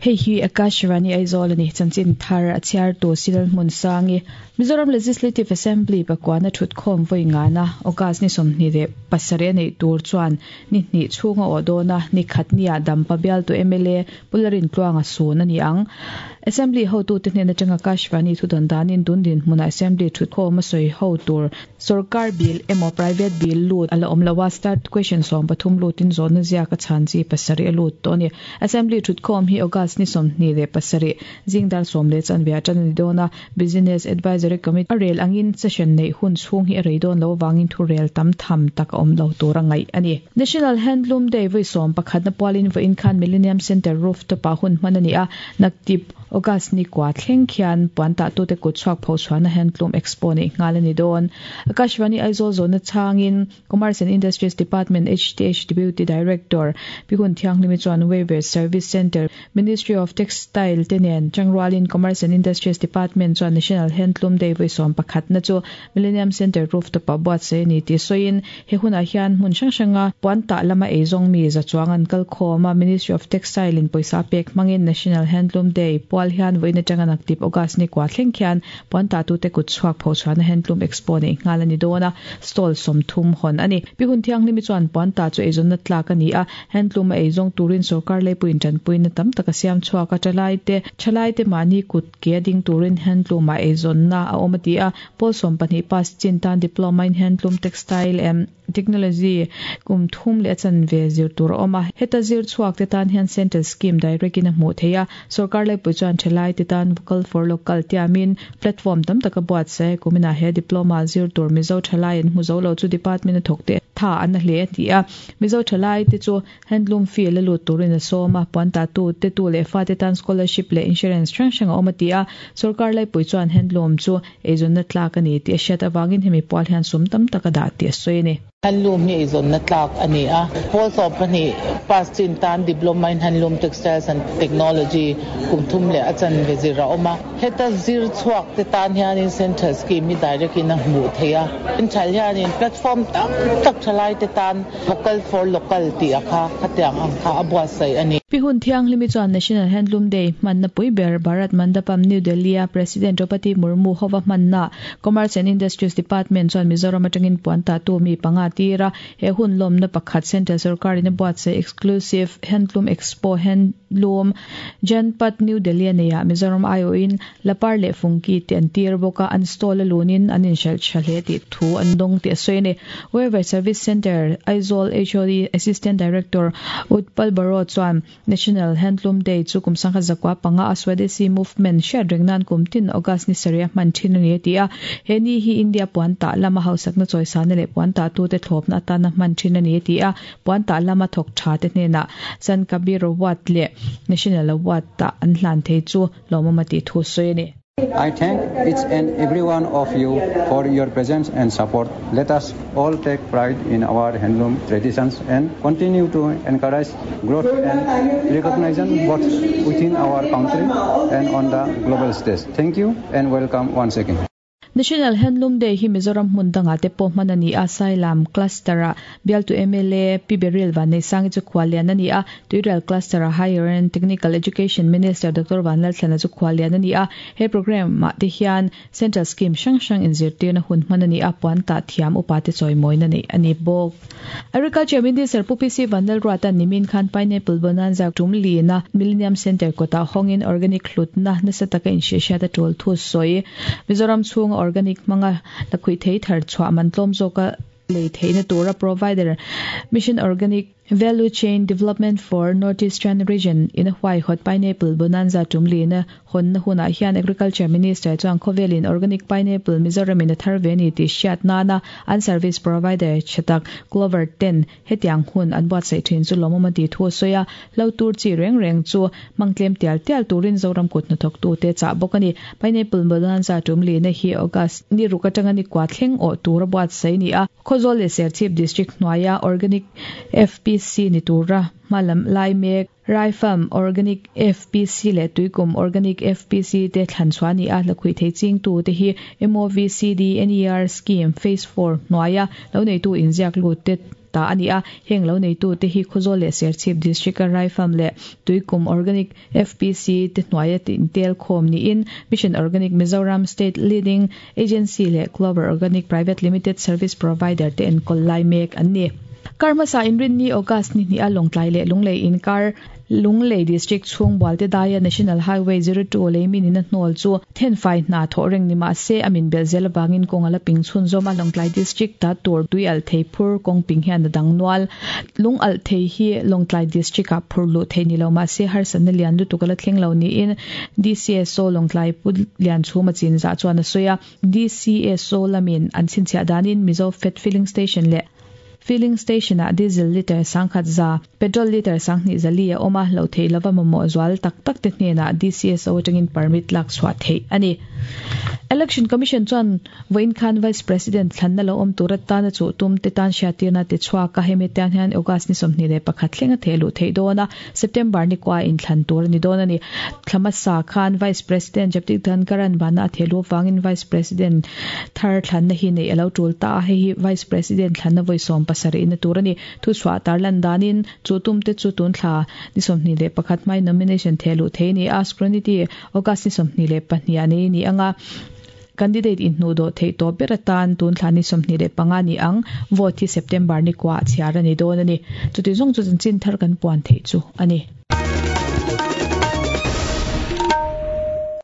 Hei hi Akashvani Aizawl a ni. Chanchin thar a chhiartu Silal Hmunsangi. Mizoram Legislative Assembly pakuana thutkhawm vawi ngana August ni 27 a neih tur chuan ni hnih chhung a awh dawn a, ni khat nia Dampa bialtu mla Pu Lalrintluanga sun a ni ang. Assembly hotute hnen atanga Akashvani thudawn danin tun dinhmunah Assembly thutkhawm a sawi ho tur Sorkar bill emaw private bill lut a la awm lo a, start question 13 lutin zawhna ziak a chhan chi pasarih a lut tawh a ni. Assembly thutkhawm hi August ni 27 zing dar sawm leh chanve ah tan a ni dawn a, Business Advisory Committee a rel angin session neih hun chhung hi a rei dawn lo avangin thurel tam tham tak a awm lo tur a ngaih a ni. National Handloom Day vawi sawm pakhatna pualin vawiin khan Millennium Centre rooftop ah hun hman a ni a, naktip August ni kua thleng khian puan tahtute kut chhuak pho chhuahna Handloom Expo neih nghal a ni dawn. Akashvani Aizawl zawhna chhangin Commerce and Industries Department HTH Deputy Director Pi Hun Thianghlimi chuan Weavers Service Centre, Ministry of Textile te nen changrualin Commerce and Industries Department chuan National Handloom Day vawi sawm pakhatna chu Millennium Centre rooftop ah buatsaih a ni tih sawiin he hunah hian hmun hrang hranga puan tah lama eizawng mi za chuang an kal khawm a, Ministry of Textile in pawisa pek hmangin National Handloom Day pual hian vawiin atanga naktip August ni kua thleng khian puan tahtute kut chhuak pho chhuahna Handloom Expo neih nghal a ni dawn a, stall 30 hawn a ni. Pi Hun Thianghlimi chuan puan tah chu eizawnna tlak a ni a, Handloom a eizawng turin sorkar leipuiin tanpuina tam tak a siam chhuak a, thalaite thalaite mahni kut ke a ding turin handloom ah eizawnna a awm a ti a, Pawl 12 pass chin tan Diploma in Handloom Textile and Technology kum thum leh a chanve zir tur a awm a, heta zir chhuak te tan hian Central Scheme direct in a hmuh theih a, sorkar laipui chuan thalai te tan Vocal for Local tiamin platform tam tak a buatsaih a, kuminah he Diploma zir tur Mizo thalai an hmu zo lo chu Department a thawk te tha an na hle a ti a, Mizo thalai te chu Handloom fee la lut turin a sawm a, puan tatu te tu leh fate tan scholarship leh insurance hrang hrang a awm a ti a, sorkar laipui chuan handloom chu eizawnna tlak a ni tih a hriat avangin hemi pual hian sum tam tak a dah tih a sawi a ni. Handloom hi eizawnna tlak a ni a, pawl 12 pass chin tan Diploma in Handloom Textiles and Technology kum thum leh a chanve zir a awm a, heta zir chhuak te tan hianin Central Scheme hi direct in a hmuh theih a, Central hianin platform tam tak thalai te tan Vocal for Local tih a kha khatiang ang kha a buatsaih a ni. Pi Hun Thianghlimi chuan National Handloom Day hmanna pui ber Bharat Mandapam, New Delhi-a President Draupadi Murmu hova hmanna Commerce and Industries Department chuan Mizoram atangin puan tahtu mi panga tir a, he hun lawmna pakhat Central Sorkarin a buatsaih Exclusive Handloom Expo Handloom Janpath, New Delhi a neiah Mizoram aiawhin Lapar leh Fungki te an tir bawk a, an stall a lunin an inhralh tha hle tih thu an dawng tih a sawi a ni. Weaver Service Centre, Aizawl HOD Assistant Director Utpal Baro chuan National Handloom Day chu kum sangkhat zakua panga a Swadesi Movement hriat reng nan kum tin August ni sarih a hman thin a ni a ti a. He ni hi India puan tah lama hausakna chawisana leh puan tahtute thlawpna atana hman thin a ni a ti a. Puan tah lama thawk tha te hnenah Sant Kabir Award leh National Award ah an hlan thei chu lawmawm a tih thu sawi a ni. I thank each and every one of you for your presence and support. Let us all take pride in our handloom traditions and continue to encourage growth and recognition both within our country and on the global stage. Thank you and welcome once again. National Handloom Day hi Mizoram hmun dangah te pawh hman a ni a, Sailam Cluster-ah bialtu mla Pi Beryl Vanneihsangi chu khuallian a ni a, Tuirial Cluster-ah Higher and Technical Education Minister Doctor Vanlalthlana chu khuallian a ni a, he programme-ah te hian Central Scheme hrang hrang inzirtirna hun hman a ni a, puan tah thiam upa te chawimawina neih a ni bawk. Agriculture Minister Pu PC Vanlalruata'n nimin khan Pineapple Bonanza tum lina Millennium Centre kawtah hawngin organic hlutna nasa taka inhrehhriat a tul thu sawi. Mizoram chhunga organic hmanga lakhuih thei thar chhuah man tlawm zawka lei theihna tura provider Mission Organic Value Chain Development for North Eastern Region in a huaihawt Pineapple Bonanza tum lina Hawnna hunah hian Agriculture Minister chuan khawvelin organic pineapple Mizoram in a thar ve a ni tih hriat nana an service provider tha tak Clover ten hetiang hun an buatsaih thin chu lawmawm a tih thu a sawi a, hlo tur chi reng reng chu hmang tlem tial tial turin Zoram kut hnathawktute chah bawk a ni. Pineapple Bonanza tum lihna hi August ni ruk atanga ni kua thleng awh tur a buatsaih a ni a, Khawzawl leh Serchhip District hnuaia organic FPC ni tura hma lam lai mek. Raifam, Organic FPC leh Tuikum Organic FPC te thlan chhuah a ni a, lakhuih thei chingtu te hi MOVCD NER Scheme Phase Four hnuaia lo neitu inziak lut te ta a ni a. Heng lo neitute hi Khawzawl leh Serchhip District-a Raifam leh Tuikum Organic FPC te hnuaia intel khawm niin Mission Organic Mizoram State Leading Agency leh Clover Organic Private Limited Service Provider te enkawl lai mek an ni. Kar hmasa Inrinni August ni hnih a Lawngtlai leh Lunglei inkar Lunglei District chhung Bualte daia National Highway 02 lei min in a hnawl chu thenfai hna thawh reng ni mah se a min belh zel avangin kawng a la ping chhunzawm a, Lawngtlai District ta tur tui alh thei phur kawng ping hian a dang nual. Lung alh thei hi Lawngtlai District ah phur luh theih ni lo mah se harsatna lian lutuk a la thleng lo niin DCSO Lawngtlai Pu Lianchhuma Chinzah chuan a sawi a. DCSO lamin an chhinchhiah danin Mizo Fed Filling Station leh Filling Station ah Diesel litre 10,100, Petrol litre 2,200 a awm a, loh theih lova mamawh zual tak tak te hnenah DCSO atangin permit lak chhuah theih a ni. Election Commission chuan vawiin khan Vice President thlanna lo awm tur atana chuh tum te tan hriattirna ti chhuak a, hemi atan hian August ni 21 thleng a theh luh theih dawn a, September ni kua inthlan tur a ni dawn a ni. Thla hmasa khan Vice President Jagdeep Dhankhar-a'n vana a theh luh avangin Vice President thar thlanna hi neih a lo tul ta a, hei hi Vice President thlanna vawi 70 na tur a ni. Thuchhuah tarlan danin chu tum te chu tun thla ni 21 hmai nomination theh luh thei a ni a, Scrutiny August ni 22 ah nei a ni ang a, candidate inhnuh dawh theih tawh ber atan tun thla ni 25 ni ang, vote hi September ni kuah chhiar a ni dawn a ni. Chuti zawng chu chanchin thar kan puan theih chu a ni.